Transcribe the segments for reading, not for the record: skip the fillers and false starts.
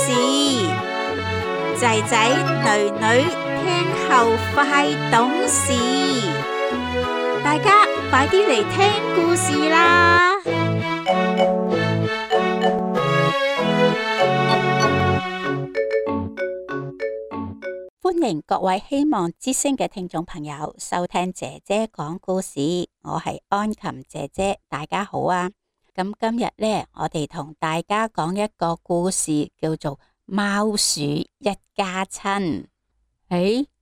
事，仔仔女女聽後快懂事，大家快啲嚟聽故事啦！歡迎各位希望之聲嘅聽眾朋友收聽姐姐講故事，我係安琴姐姐，大家好啊！咁今日呢，我哋同大家講一個故事，叫做貓鼠一家親。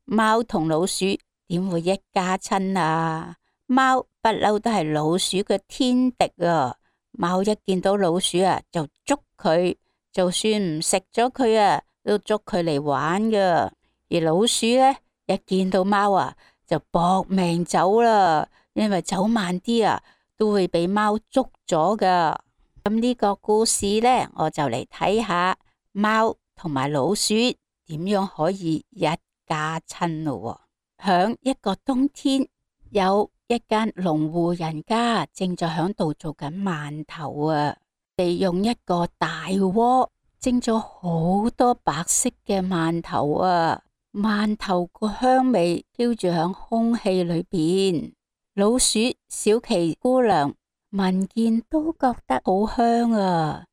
貓同老鼠點會一家親啊？貓不嬲都係老鼠嘅天敵啊！貓一見到老鼠啊，就捉佢，就算唔食咗佢啊，都捉佢嚟玩噶。而老鼠呢，一見到貓啊，就搏命走啦，因為走慢啲啊，都會俾貓捉咗噶。咁呢個故事呢，我就嚟睇下貓同埋老鼠點樣可以一家親咯。響一個冬天，有一間農戶人家正在響度做緊饅頭啊，利用一個大鍋蒸咗好多白色嘅饅頭啊，饅頭個香味飄住響空氣裏邊。老鼠小琪姑娘聞見都覺得好香啊，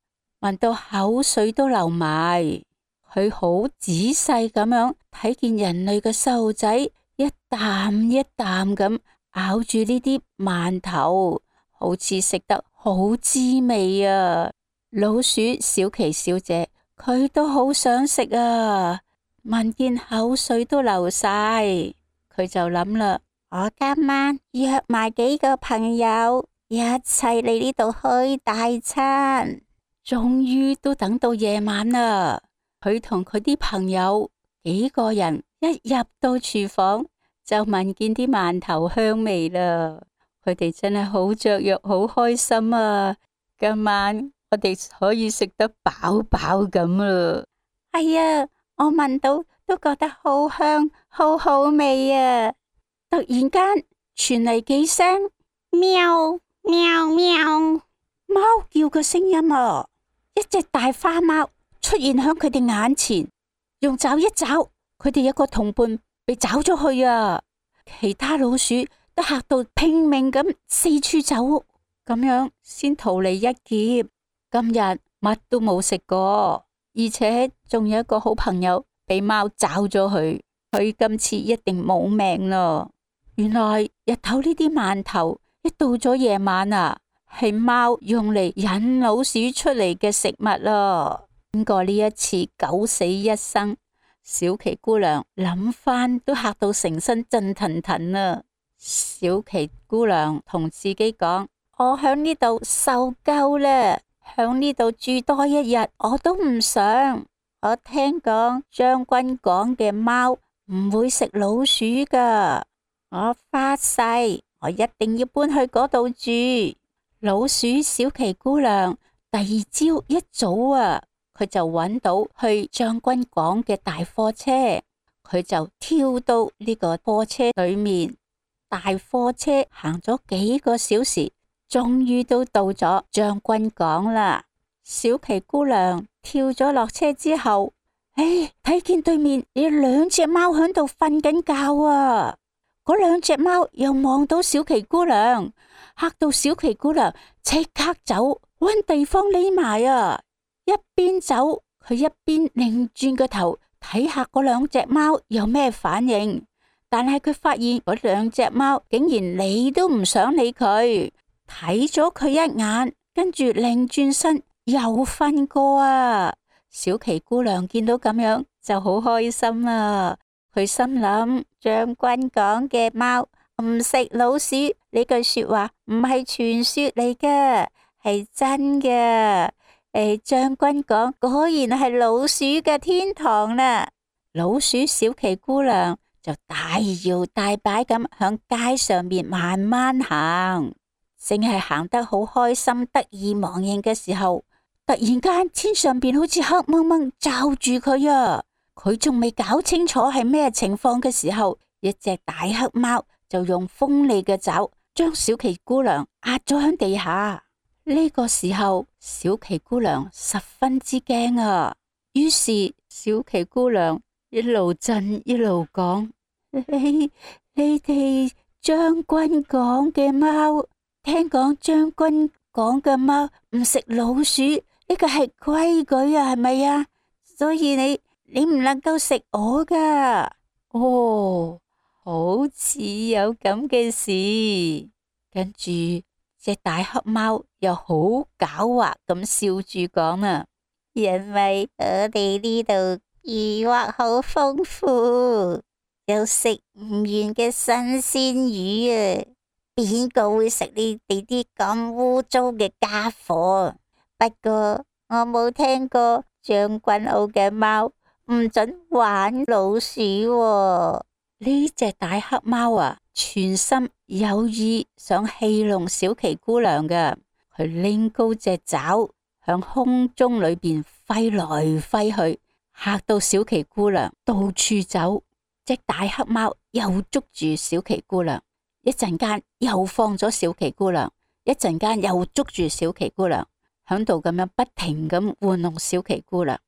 聞到口水都流埋。佢好仔細咁樣睇見人類嘅細路仔一啖一啖咁咬住呢啲饅頭，好似食得好滋味啊！老鼠小琪小姐佢都好想食啊，聞見口水都流晒，佢就諗啦，我今晚約埋幾個朋友一齊嚟呢度開大餐。終於都等到夜晚啦，佢同佢啲朋友幾個人一入到廚房就聞見啲饅頭香味啦。佢哋真係好雀躍，好開心啊！今晚我哋可以食得飽飽咁啦。係啊，我聞到都覺得好香，好好味啊！突然間傳嚟幾聲喵喵喵貓叫嘅聲音啊！一隻大花貓出現響佢哋眼前，用爪一爪，佢哋一個同伴被找咗去啊！其他老鼠都嚇到拼命咁四處走，咁樣先逃離一劫。今日乜都冇食過，而且仲有一個好朋友被貓找咗去，佢今次一定冇命咯。原來日頭呢啲饅頭一到咗夜晚啊，係貓用嚟引老鼠出嚟嘅食物咯。經過呢一次九死一生，小琪姑娘諗翻都嚇到成身震騰騰啊！小琪姑娘同自己講：我響呢度受夠啦，響呢度住多一日我都唔想。我聽講將軍講嘅貓唔會食老鼠噶，我發誓我一定要搬去嗰度住。老鼠小琪姑娘第二朝一早啊，佢就揾到去將軍港嘅大貨車，佢就跳到呢個貨車裏面。大貨車行咗幾個小時，終於都到咗將軍港啦。小琪姑娘跳咗落車之後，睇見對面有兩隻貓喺度瞓緊覺啊！嗰兩隻貓又望到小琪姑娘，嚇到小琪姑娘即刻走，搵地方匿埋啊！一邊走，佢一邊擰轉個頭睇下嗰兩隻貓有咩反應。但係佢發現嗰兩隻貓竟然理都唔想理佢，睇咗佢一眼，跟住擰轉身又瞓過啊！小琪姑娘見到咁樣就好開心啦。佢心諗，將軍講嘅貓唔食老鼠呢句說話唔係傳說嚟㗎，係真嘅。將軍講果然係老鼠嘅天堂啦。老鼠小琪姑娘就大搖大擺咁響街上面慢慢行，正係行得好開心得意忘形嘅時候，突然間天上邊好似黑蒙蒙罩住佢啊！佢仲未搞清楚係咩情況嘅時候，一隻大黑貓就用鋒利嘅爪將小琪姑娘壓咗喺地下。呢個時候，小琪姑娘十分之驚啊！於是小奇姑娘一路震一路講：你哋將軍講嘅貓，聽講將軍講嘅貓唔食老鼠，呢個係規矩啊，係咪啊？所以你唔能夠食我噶。哦，好似有咁嘅事。跟住隻大黑貓又好狡猾咁笑住講啊，因為我哋呢度魚獲好豐富，有食唔完嘅新鮮魚啊！邊個會食你哋啲咁污糟嘅家伙？不過我冇聽過將軍澳嘅貓唔准玩老鼠喎。呢隻大黑貓啊，全心有意想戲弄小奇姑娘嘅，佢拎高隻爪向空中裏邊揮來揮去，嚇到小奇姑娘到處走。隻大黑貓又捉住小奇姑娘，一陣間又放咗小奇姑娘，一陣間又捉住小奇姑娘，響度咁樣不停咁玩弄小奇姑娘。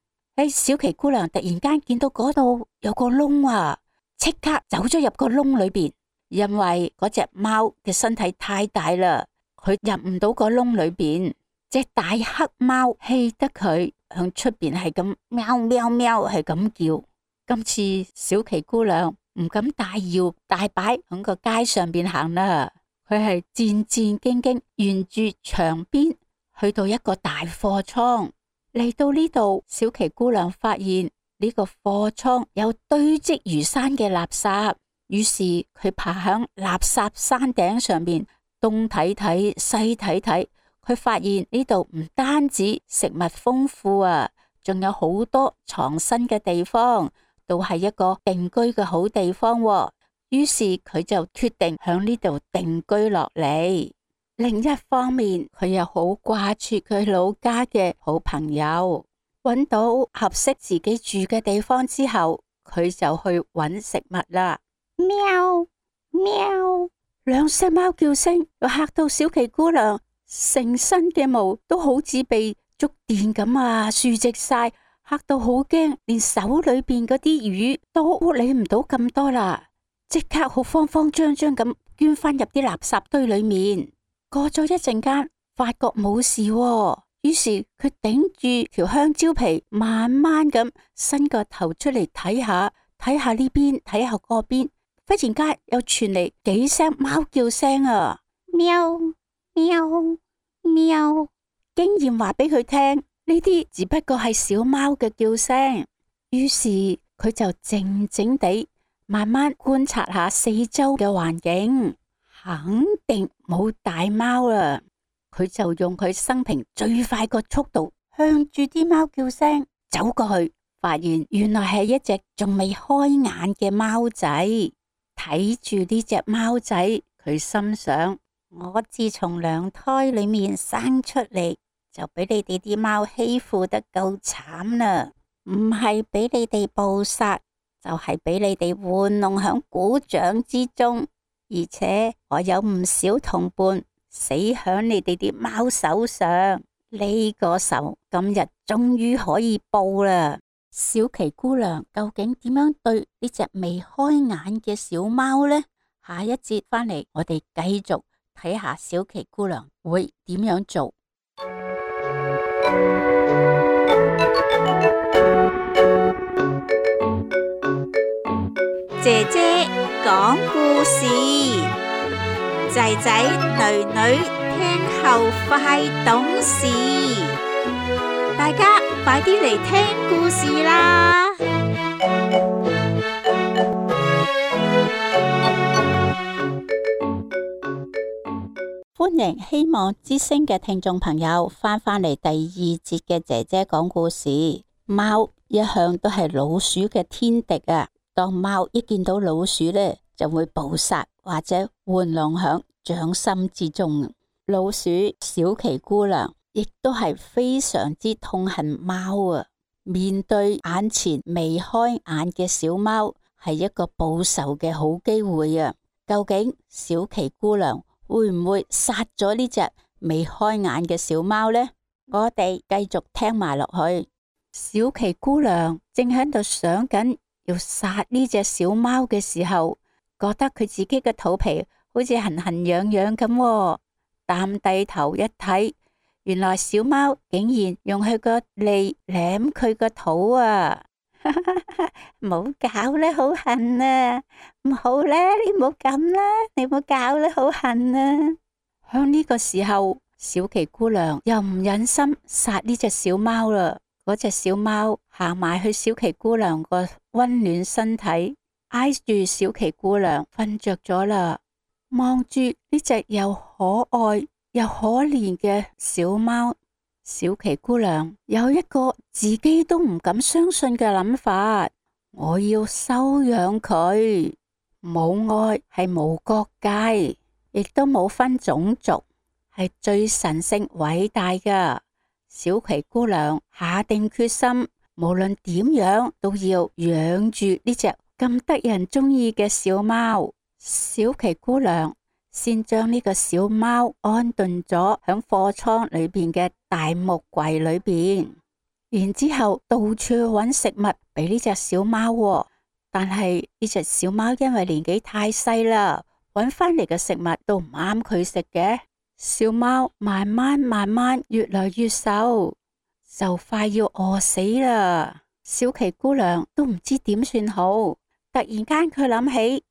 小奇姑娘突然間見到嗰度有個窿啊，即刻走咗入個窿裏邊，因為嗰隻貓嘅身體太大啦，佢入唔到個窿裏邊。隻大黑貓氣得佢向出邊係咁喵喵喵係咁叫。今次小奇姑娘唔敢大搖大擺響個街上邊行啦，佢係戰戰兢兢沿住牆邊去到一個大貨倉。嚟到呢度，小奇姑娘發現呢個貨倉有堆積如山嘅垃圾，於是佢爬響垃圾山頂上面東睇睇西睇睇，佢發現呢度唔單止食物豐富啊，仲有好多藏身嘅地方，都係一個定居嘅好地方喎。於是佢就決定響呢度定居落嚟。另一方面，佢又好掛住佢老家嘅好朋友。揾到合適自己住嘅地方之後，佢就去揾食物啦。喵喵，兩聲貓叫聲又嚇到小奇姑娘，成身嘅毛都好似被觸電咁啊，豎直晒，嚇到好驚，連手裏邊嗰啲魚都理唔到咁多啦，即刻好慌慌張張咁捐翻入啲垃圾堆裏面。過咗一陣間，發覺冇事喎，於是佢頂住條香蕉皮，慢慢咁伸個頭出嚟睇下，睇下呢邊，睇下嗰邊。忽然間又傳嚟幾聲貓叫聲啊，喵喵喵，經驗話俾佢聽，呢啲只不過係小貓嘅叫聲。於是佢就靜靜地慢慢觀察下四周嘅環境。肯定冇大貓啦，佢就用佢生平最快個速度向住啲貓叫聲走過去，發現原來係一隻仲未開眼嘅貓仔。睇住呢隻貓仔，佢心想：我自從娘胎裏面生出嚟，就俾你哋啲貓欺負得夠慘啦，唔係俾你哋捕殺，就係俾你哋玩弄響鼓掌之中。而且我有唔少同伴死響你哋啲貓手上，呢個仇今日終於可以報啦。小奇姑娘究竟點樣對呢隻未開眼嘅小貓呢？下一節翻嚟，我哋繼續睇下小奇姑娘會點樣做。姐姐講故事，仔仔女女聽後快懂事，大家快啲嚟聽故事啦！歡迎希望之聲嘅聽眾朋友翻嚟第二節嘅姐姐講故事。貓一向都係老鼠嘅天敵啊！當貓一見到老鼠呢，就會捕殺或者玩弄響掌心之中。老鼠小奇姑娘亦都係非常之痛恨貓啊！面對眼前未開眼嘅小貓，係一個報仇嘅好機會啊！究竟小奇姑娘會唔會殺咗呢隻未開眼嘅小貓呢？我哋繼續聽埋落去。小琪姑娘正喺度想緊要殺呢隻小貓嘅時候，覺得佢自己嘅肚皮好似痕痕癢癢咁喎，擔低頭一睇，原來小貓竟然用佢個脷舐佢個肚啊！唔好搞啦，好痕啊！唔好啦，你唔好咁啦，你唔好搞啦，好痕啊！響呢個時候，小琪姑娘又唔忍心殺呢隻小貓啦。嗰隻小貓行埋去小琪姑娘個溫暖身體，挨住小琪姑娘瞓着咗啦。望住呢隻又可愛又可憐嘅小貓，小琪姑娘有一個自己都唔敢相信嘅諗法：我要收養佢。母愛係無國界，亦都冇分種族，係最神聖偉大㗎。小琪姑娘下定決心，無論點樣都要養住呢隻咁得人中意嘅小貓。小琪姑娘先將呢個小貓安頓咗響貨倉裏邊嘅大木櫃裏邊，然之後到處去揾食物俾呢隻小貓。但係呢隻小貓因為年紀太細啦，揾翻嚟嘅食物都唔啱佢食嘅。小貓慢慢越來越瘦，就快要餓死啦。小琪姑娘都唔知點算好，突然間佢諗起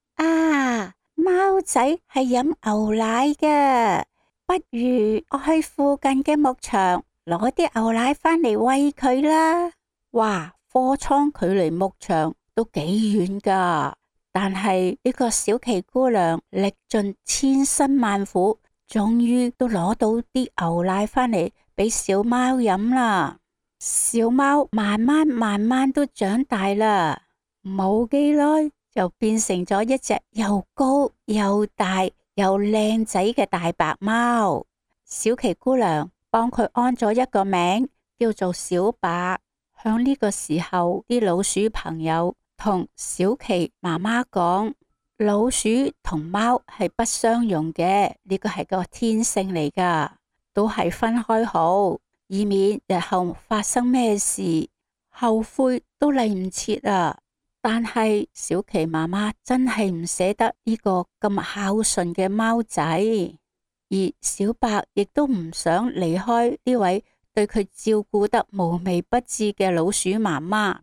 貓仔係飲牛奶嘅，不如我去附近嘅牧場攞啲牛奶翻嚟餵佢啦。哇，貨倉距離牧場都幾遠噶，但係呢個小琪姑娘歷盡千辛萬苦，終於都攞到啲牛奶翻嚟俾小貓飲啦。小貓慢慢都長大啦，冇幾耐就變成咗一隻又高又大又靚仔嘅大白貓。小琪姑娘幫佢安咗一個名，叫做小白。響呢個時候，啲老鼠朋友同小琪媽媽講，老鼠同貓係不相容嘅，呢個係個天性嚟噶，都係分開好，以免日後發生咩事後悔都嚟唔切啊！但係小琪媽媽真係唔捨得呢個咁孝順嘅貓仔，而小白亦都唔想離開呢位對佢照顧得無微不至嘅老鼠媽媽。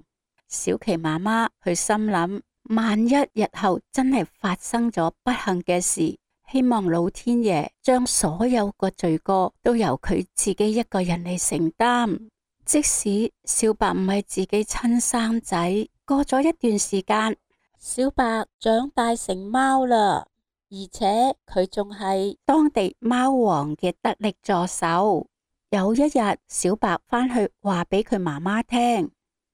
小琪媽媽佢心諗，萬一日後真係發生咗不幸嘅事，希望老天爺將所有個罪過都由佢自己一個人嚟承擔。即使小白唔係自己親生仔，過咗一段時間，小白長大成貓啦，而且佢仲係當地貓王嘅得力助手。有一日，小白返去話俾佢媽媽聽，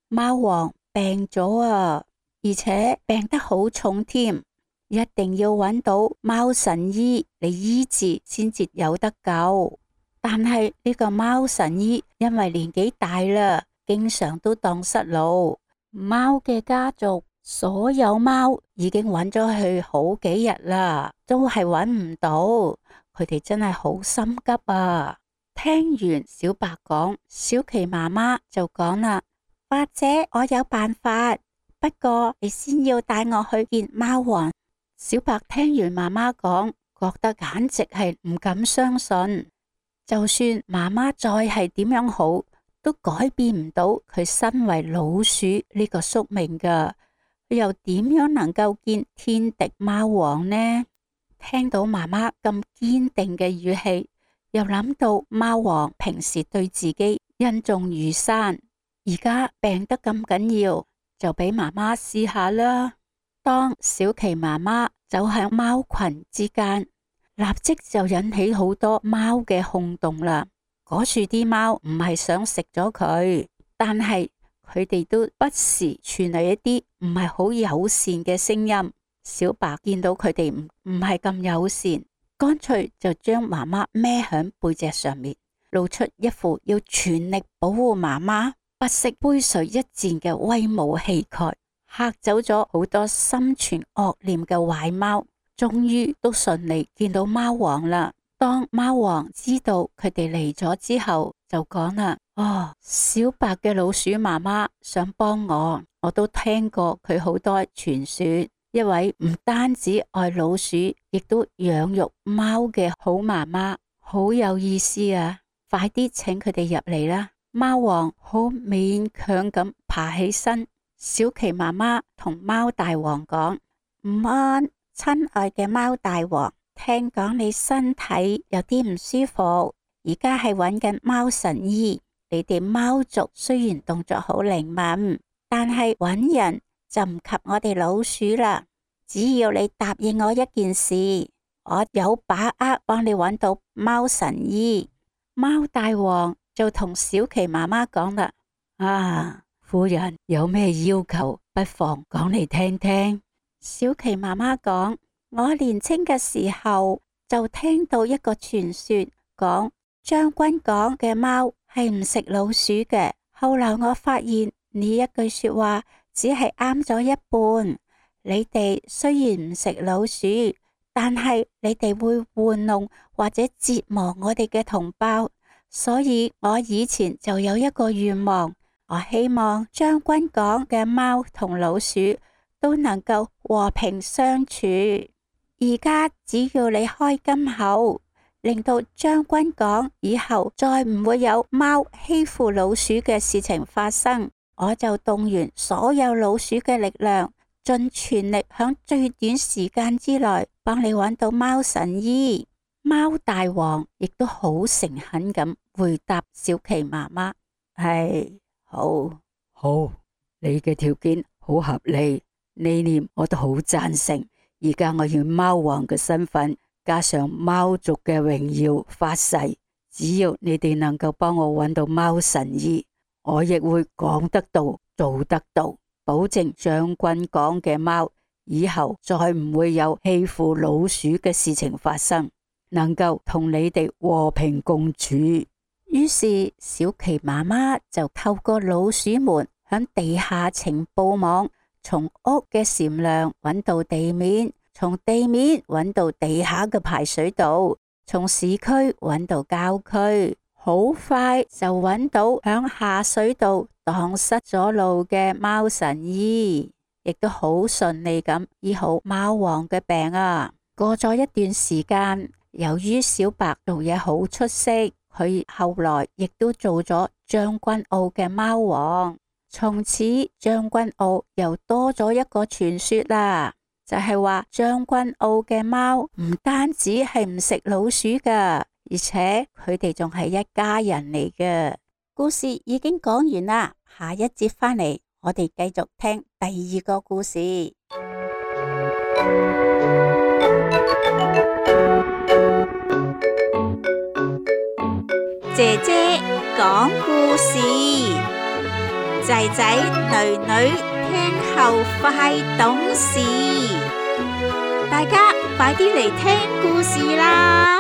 貓王病咗啊，而且病得好重添，一定要揾到貓神醫嚟醫治先至有得救。但係呢個貓神醫因為年紀大啦，經常都蕩失路。貓嘅家族所有貓已經揾咗佢好幾日啦，都係揾唔到。佢哋真係好心急啊！聽完小白講，小琪媽媽就講啦，或者我有辦法，不過你先要帶我去見貓王。小白聽完媽媽講，覺得簡直係唔敢相信。就算媽媽再係點樣好，都改變唔到佢身為老鼠呢個宿命噶。佢又點樣能夠見天敵貓王呢？聽到媽媽咁堅定嘅語氣，又諗到貓王平時對自己恩重如山，而家病得咁緊要，就俾媽媽試下啦。當小琪媽媽走喺貓群之間，立即就引起好多貓嘅轟動啦。嗰處啲貓唔係想食咗佢，但係佢哋都不時傳嚟一啲唔係好友善嘅聲音。小白見到佢哋唔係咁友善，乾脆就將媽媽孭響背脊上面，露出一副要全力保護媽媽、不惜杯水一戰嘅威武氣概，嚇走咗好多心存惡念嘅壞貓。終於都順利見到貓王啦。當貓王知道佢哋嚟咗之後，就講啦：哦，小白嘅老鼠媽媽想幫我都聽過佢好多傳說，一位唔單止愛老鼠，亦都養育貓嘅好媽媽，好有意思啊！快啲請佢哋入嚟啦！貓王好勉強咁爬起身，小琪媽媽同貓大王講：午安，親愛嘅貓大王，聽講你身體有啲唔舒服，而家係揾緊貓神醫。你哋貓族雖然動作好靈敏，但係揾人就唔及我哋老鼠啦。只要你答應我一件事，我有把握幫你揾到貓神醫。貓大王就同小琪媽媽講啦：啊，夫人有咩要求，不妨講嚟聽聽。小琪媽媽講：我年輕嘅時候就聽到一個傳說，講將軍講嘅貓係唔食老鼠嘅。後來我發現呢一句說話只係啱咗一半。你哋雖然唔食老鼠，但係你哋會玩弄或者折磨我哋嘅同胞。所以我以前就有一個願望，我希望將軍講嘅貓同老鼠都能夠和平相處。而家只要你開金口，令到將軍講以後再唔會有貓欺負老鼠嘅事情發生，我就動員所有老鼠嘅力量，盡全力響最短時間之內幫你揾到貓神醫。貓大王亦都好誠懇咁回答小琪媽媽：係，好，你嘅條件好合理，呢念我都好贊成。而家我要貓王嘅身份，加上貓族嘅榮耀發誓，只要你哋能夠幫我揾到貓神醫，我亦會講得到做得到，保證將軍講嘅貓以後再唔會有欺負老鼠嘅事情發生，能夠同你哋和平共處。於是小琪媽媽就透過老鼠門響地下情報網，從屋嘅禪梁揾到地面，從地面揾到地下嘅排水道，從市區揾到郊區，好快就揾到響下水道蕩失咗路嘅貓神醫，亦都好順利咁醫好貓王嘅病啊！過咗一段時間，由於小白做嘢好出色，佢後來亦都做咗將軍澳嘅貓王。從此將軍澳又多咗一個傳說啦，就係話將軍澳嘅貓唔單止係唔食老鼠噶，而且佢哋仲係一家人嚟嘅。故事已經講完啦，下一節返嚟我哋繼續聽第二個故事。姐姐講故事，仔仔女女聽後快懂事，大家快啲嚟聽故事啦！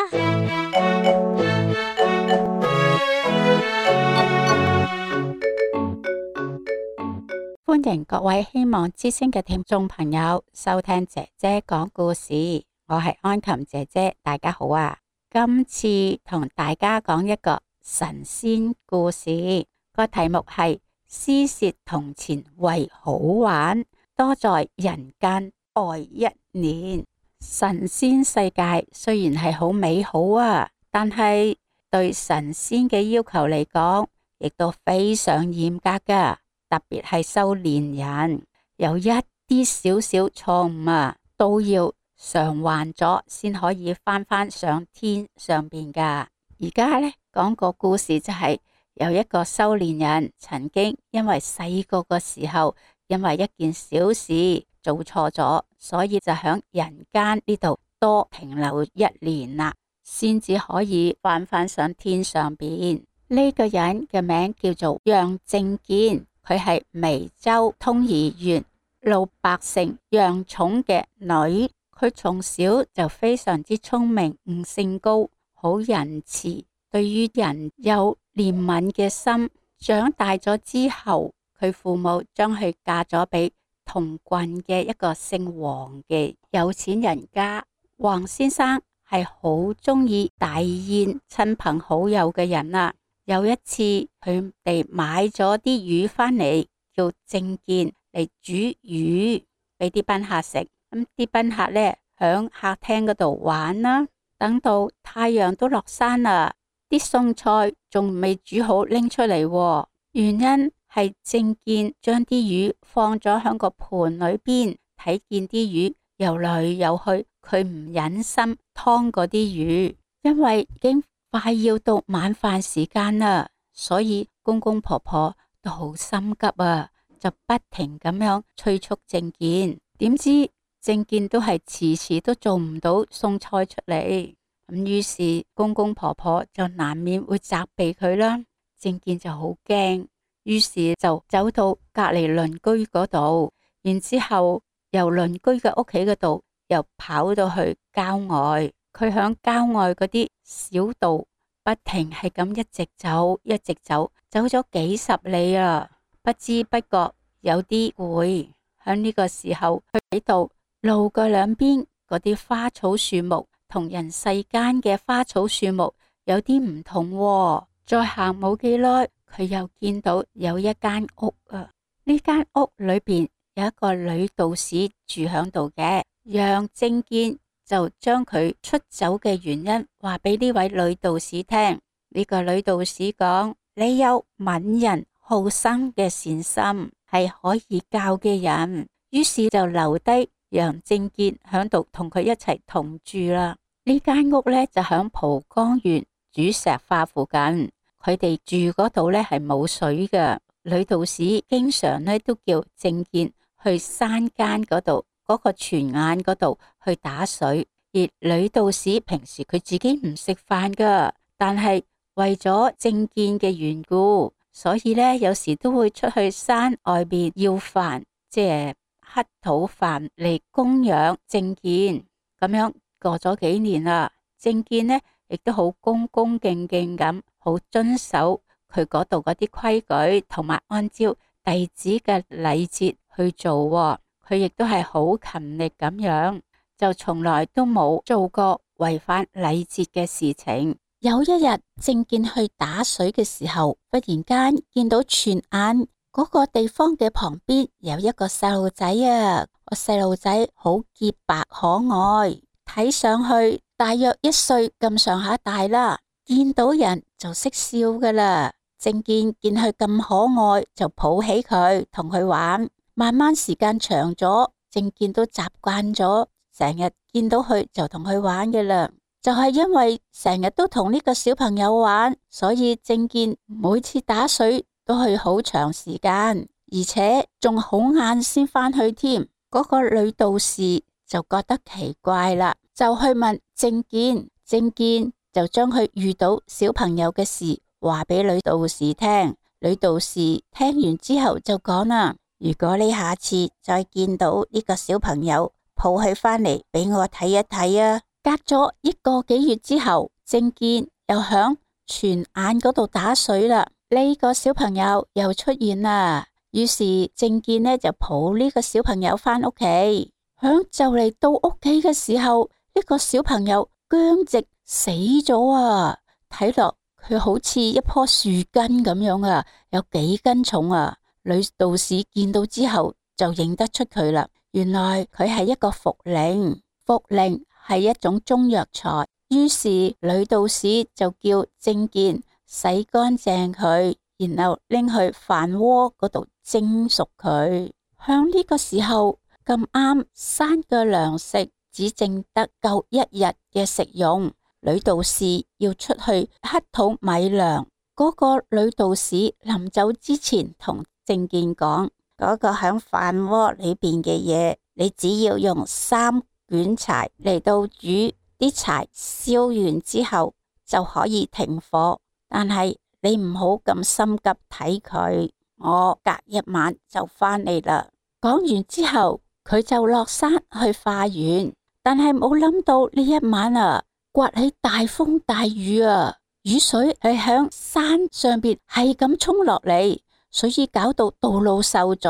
歡迎各位希望之聲嘅聽眾朋友收聽姐姐講故事，我係安琴姐姐，大家好啊！今次同大家講一個神仙故事，個題目係詩涉銅錢為好玩，多在人間愛一年。神仙世界雖然係好美好啊，但係對神仙嘅要求嚟講，亦都非常嚴格噶。特別係修煉人，有一啲少少錯誤啊，都要償還咗先可以返上天上邊噶。而家呢，講個故事，就係有一個修煉人曾經因為細個嘅時候，因為一件小事做錯咗，所以就響人間呢度多停留一年啦，先至可以返上天上邊。呢個人嘅名叫做楊正健。佢係眉州通義縣老百姓楊寵嘅女，佢從小就非常之聰明，悟性高，好仁慈，對於人有憐憫嘅心。長大咗之後，佢父母將佢嫁咗俾同郡嘅一個姓黃嘅有錢人家。黃先生係好中意大宴親朋好友嘅人啊。有一次佢哋買咗啲魚返嚟，叫正見嚟煮魚俾啲賓客食。咁啲賓客呢，響客廳嗰度玩啦。等到太陽都落山啦，啲餸菜仲未煮好拎出嚟，原因係正見將啲魚放咗響個盤裏邊，睇見啲魚游來游去，佢唔忍心劏嗰啲魚，因為已經快要到晚飯時間啦，所以公公婆婆都好心急啊，就不停咁樣催促正見。點知正見都係遲遲都做唔到餸菜出嚟，咁於是公公婆婆就難免會責備佢啦。正見就好驚，於是就走到隔籬鄰居嗰度，然之後由鄰居嘅屋企嗰度又跑到去郊外。佢響郊外嗰啲小道不停係咁一直走，一直走，走咗幾十里啊，不知不覺有啲攰。響呢個時候，佢睇到路嘅兩邊嗰啲花草樹木同人世間嘅花草樹木有啲唔同喎。再行冇幾耐，佢又見到有一間屋啊。呢間屋裏邊有一個女道士住響度嘅，讓正見就將佢出走嘅原因話俾呢位女道士聽。呢個女道士講：你有憫人好生嘅善心，係可以教嘅人。於是就留低讓正見響度同佢一齊同住啦。呢間屋呢，就響蒲崗園主石化附近，佢哋住嗰度呢係冇水嘅。女道士經常呢都叫正見去山間嗰度嗰個泉眼嗰度去打水，而女道士平時佢自己唔食飯噶，但係為咗正見嘅緣故，所以呢有時都會出去山外邊要飯，即係乞討飯嚟供養正見。咁樣過咗幾年啦，正見呢亦都好恭恭敬敬咁，好遵守佢嗰度嗰啲規矩，同埋按照弟子嘅禮節去做。佢亦都係好勤力咁樣，就從來都冇做過違反禮節嘅事情。有一日，正見去打水嘅時候，忽然間見到泉眼嗰個地方嘅旁邊有一個細路仔啊。個細路仔好潔白可愛，睇上去大約1歲咁上下大啦，見到人就識笑噶啦。正見見佢咁可愛，就抱起佢同佢玩。慢慢時間長咗，正見都習慣咗，成日見到佢就同佢玩嘅啦。就係因為成日都同呢個小朋友玩，所以正見每次打水都去好長時間，而且仲好晏先返去添。嗰個女道士就覺得奇怪啦，就去問正見，正見就將佢遇到小朋友嘅事話俾女道士聽。女道士聽完之後就講啦：如果你下次再見到呢個小朋友，抱佢返嚟俾我睇一睇啊！隔咗1個幾月之後，正見又響泉眼嗰度打水啦。呢個小朋友又出現啦，於是正見呢就抱呢個小朋友返屋企。響就嚟到屋企嘅時候，呢個小朋友僵直死咗啊！睇落佢好似一棵樹根咁樣啊，有幾斤重啊！女道士見到之後就認得出佢啦，原來佢係一個茯苓，茯苓係一種中藥材。於是女道士就叫正見洗乾淨佢，然後拎去飯鍋嗰度蒸熟佢。向呢個時候咁啱山嘅糧食只剩得夠1日嘅食用，女道士要出去乞討米糧。嗰個女道士臨走之前同正見講：嗰個響飯鍋裏邊嘅嘢，你只要用3卷柴嚟到煮，啲柴燒完之後就可以停火。但係你唔好咁心急睇佢，我隔1晚就返嚟啦。講完之後，佢就落山去化緣，但係冇諗到呢一晚啊，颳起大風大雨啊，雨水係響山上邊係咁沖落嚟，所以搞到道路受阻。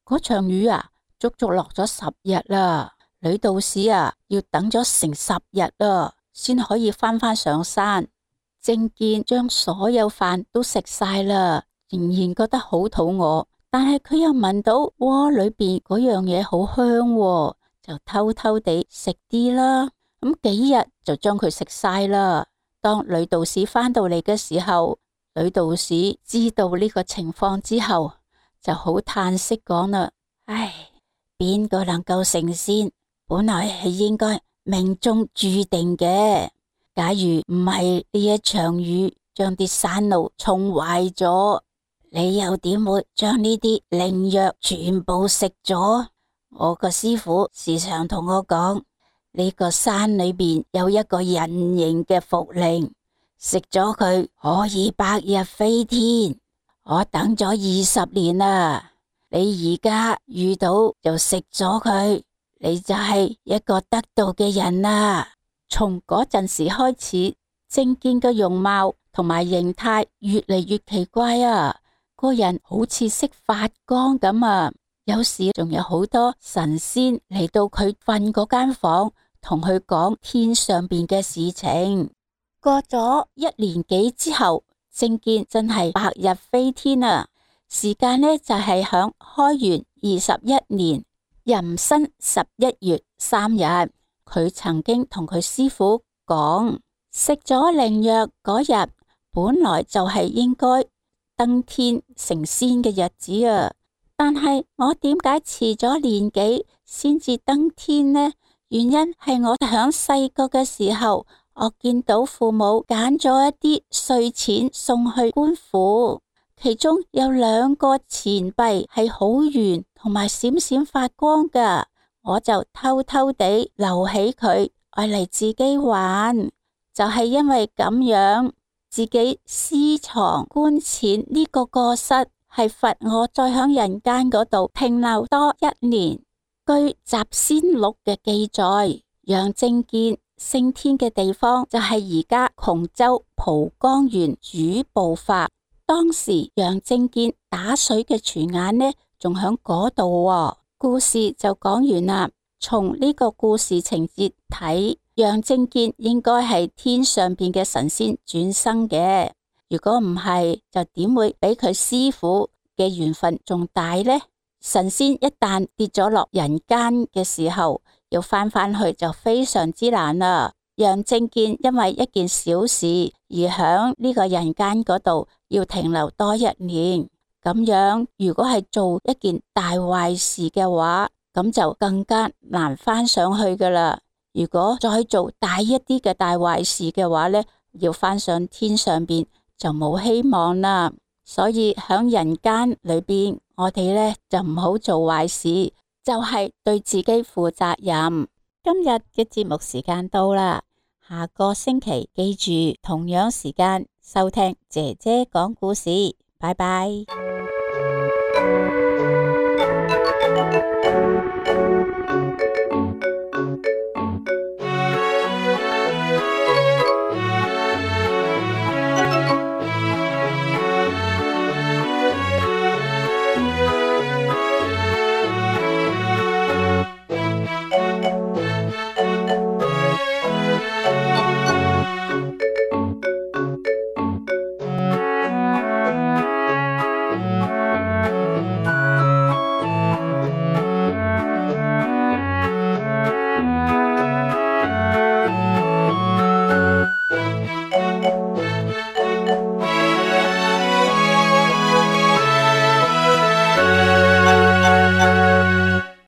嗰場雨啊，足足落咗10日啦。女道士啊，要等咗成10日啦，先可以返上山。正見將所有飯都食晒啦，仍然覺得好肚餓，但係佢又聞到鍋裏邊嗰樣嘢好香喎，就偷偷地食啲啦。咁幾日就將佢食晒啦。當女道士返到嚟嘅時候，女道士知道呢個情況之後，就好嘆息講啦：唉，邊個能夠成仙，本來係應該命中注定嘅。假如唔係呢一場雨將啲山路沖壞咗，你又點會將呢啲靈藥全部食咗？我個師父時常同我講，呢個山裏邊有一個人形嘅茯苓，食咗佢可以百日飛天。我等咗20年啦，你而家遇到就食咗佢，你就係一個得道嘅人啦。從嗰陣時開始，正見嘅容貌同埋形態越嚟越奇怪啊，個人好似識發光咁啊。有時仲有好多神仙嚟到佢瞓嗰間房，同佢講天上邊嘅事情。過咗1年幾之後，正見真係百日飛天啊！時間呢，就係響開元21年壬申11月3日。佢曾經同佢師父講，食咗靈藥嗰日本來就係應該登天成仙嘅日子啊，但係我點解遲咗年幾先至登天呢？原因係我響細個嘅時候，我見到父母揀咗一啲碎錢送去官府，其中有2個錢幣係好圓同埋閃閃發光噶。我就偷偷地留起佢，愛嚟自己玩。就係因為咁樣，自己私藏官錢呢個過失，係罰我再響人間嗰度停留多1年。據《集仙錄》嘅記載，楊正見升天嘅地方就係而家窮州蒲江縣主步法。當時楊正見打水嘅泉眼呢，仲響嗰度喎。故事就講完啦。從呢個故事情節睇，楊正見應該係天上邊嘅神仙轉生嘅。如果唔係，就點會比佢師父嘅緣分仲大呢？神仙一旦跌咗落人間嘅時候，要返去就非常之難啦。楊正見因為一件小事而響呢個人間嗰度要停留多1年。咁樣如果係做一件大壞事嘅話，咁就更加難返上去噶啦。如果再做大一啲嘅大壞事嘅話呢，要返上天上邊就冇希望啦。所以響人間裏邊，我哋呢就唔好做壞事，就係對自己負責任。今日嘅節目時間到啦，下個星期記住同樣時間收聽姐姐講故事，拜拜。